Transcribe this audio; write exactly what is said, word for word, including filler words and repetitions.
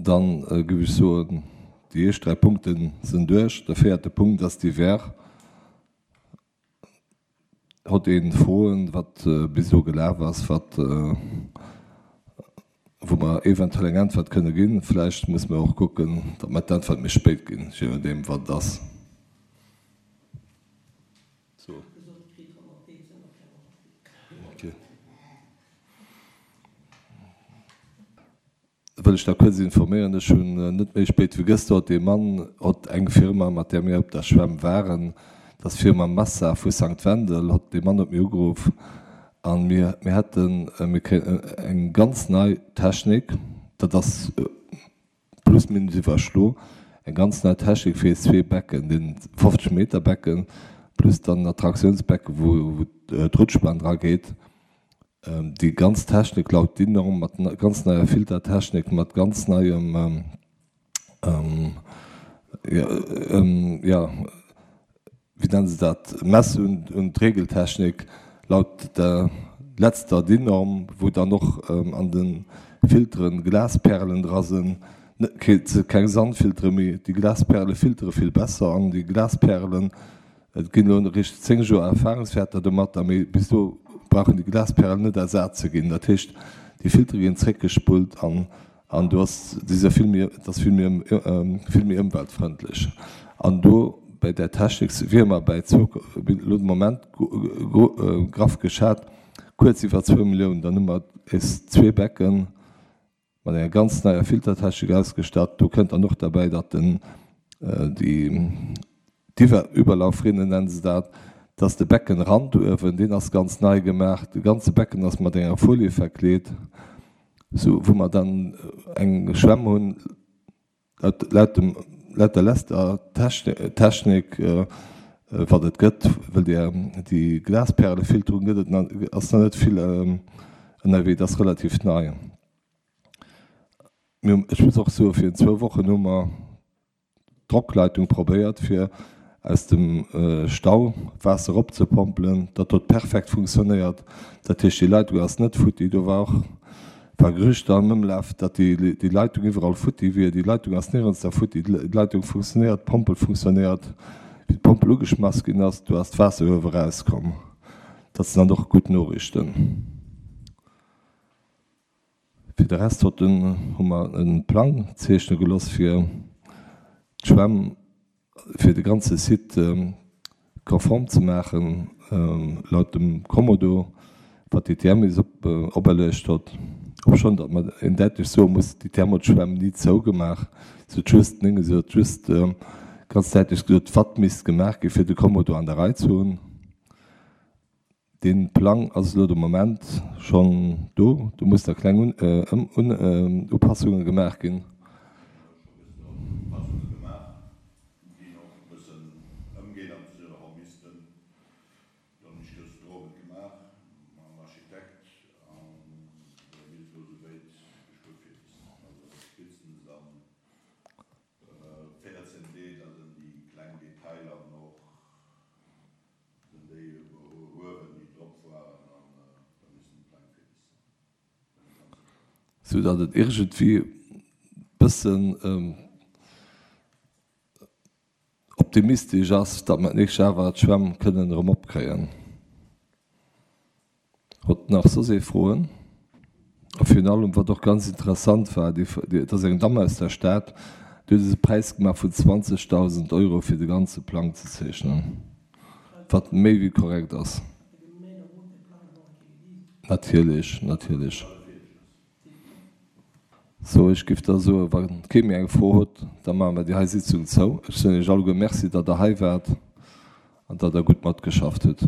Dann géif ech soen, déi éischt dräi Punkte sinn duerch. De véierte Punkt ass divers. Hott een Froen, wat bis elo gelaf ass, wat, wou mer eventuell eng Äntwert kënne ginn? Vläicht musse mer och kucken, datt mer d'Äntwert méi spéit ginn, je nodeem wat et ass. Wëll ech da kuerz informéieren, ech hunn net méi spéit wéi gëschter hott ee Mann hott eng Firma, mat där mir op der Schwämm waren, dat ass d'Firma Massa vu Sankt Wendel, hott dee Mann huet mir ugeruff an mir mir hätten, mir kréien eng ganz nei Technik, dat ass plus minus iwwerschlo, eng ganz nei Technik fir eis zwee Becken, deen fofzeg Meter Becken plus dann en Attraktiounsbecken, wou d'Rutschbahn dra geet. Déi ganz Technik laut DIN-Norm mat ganz neier Filtertechnik, mat ganz neiem, jo, wéi nennen se dat, Mess un d'Regeltechnik laut der letzter DIN-Norm, wou dann och an de Filteren Glasperlen dra sinn, et si keng Sandfiltere méi, déi Glasperle filtere vill besser an déi Glasperlen, Et ginn elo eréischt zéng Joer Erfahrungswäerter domatter, mee bis do brauchen déi Glasperlen net ersat ze ginn. Dat heescht, déi Filtere ginn zréckgespullt an an do ass déi si vill méi, et ass vill méi vill méi ëmweltfrëndlech. An do bäi där Technik wiere mer bäi zwou, elo de Moment graff geschat, kuerz iwwer zwou Milliounen. Dann hu mer eis zwee Becken mat enger ganz neier Filtertechnik ausgestatt. Do kënnt dann och derbäi, datt den déi d'Iwwer-Überlaufrinne nennen se dat, dass de Beckenrand uewen, deen ass ganz nei gemaach, de ganze Becken ass mat enger Folie verkleet, sou wou mer dann eng Schwämm hunn, laut, laut dem, laut der lester Technik, wat et gëtt, well déi, déi Glasperlefilterung gëtt et nach, ass nach net vill ënnerwee, dat ass relativ nei. Mir hunn, ech muss och soen, virun zwou Wochen hu mer d'Drockleitung probéiert fir aus dem Stau Waasser eropzepompelen. Dat huet perfekt funktionéiert. Dat heescht déi Leitung ass net futti. Do war och war Gerüchter am Ëmlaf, datt déi déi Leitung iwwerall futti wier. Déi Leitung ass nirgends da futti. D'Leitung funktionéiert, d'Pompel funktionéiert. Wéi d'Pompel ugeschmass ginn ass, do ass d'Waasser uewe erauskomm. Dat sinn dann och gutt Noriichten. Fir de Rest hott den hu mer e Plang zeechne geloss fir d'Schwämm, fir de ganze Site konform ze maachen laut dem Kommodo, wat d'I T M is operluecht hott. Obschonn datt mer een däitlech soe muss, d'I T M huet d'Schwämm ni zougemaach, se huet just, nénge se huet just ganz däitlech gesot, wat misst gemaach gi fir de Kommodo an der Rei ze hunn. Dee Plang ass elo de Moment schonn do. Do muss da kleng Upassunge gemaach ginn. Sinn déi Huewen, déi drop waren, an da missten déi Pläng fäerdeg sinn. Sou datt et iergendwéi e bëssen optimistesch ass, datt mer d'nächst Joer awer d'Schwämm kënnen erëm opkréien. Hutt nach soss ee Froen? A virun allem, wat och ganz interessant war, déi, et ass eng Damm aus der Stad, déi huet eis e Präis gemaach vun zwanzegdausend Euro fir de ganze Plang ze zeechnen, wat méi wéi korrekt ass. Natierlech, natierlech. Sou, ech géif da soen, wa kee méi eng Fro huet, da maache mer déi hei Sitzung zou. Ech soen Iech alleguer Merci, datt Der hei waart an datt Der gutt matgeschafft hutt.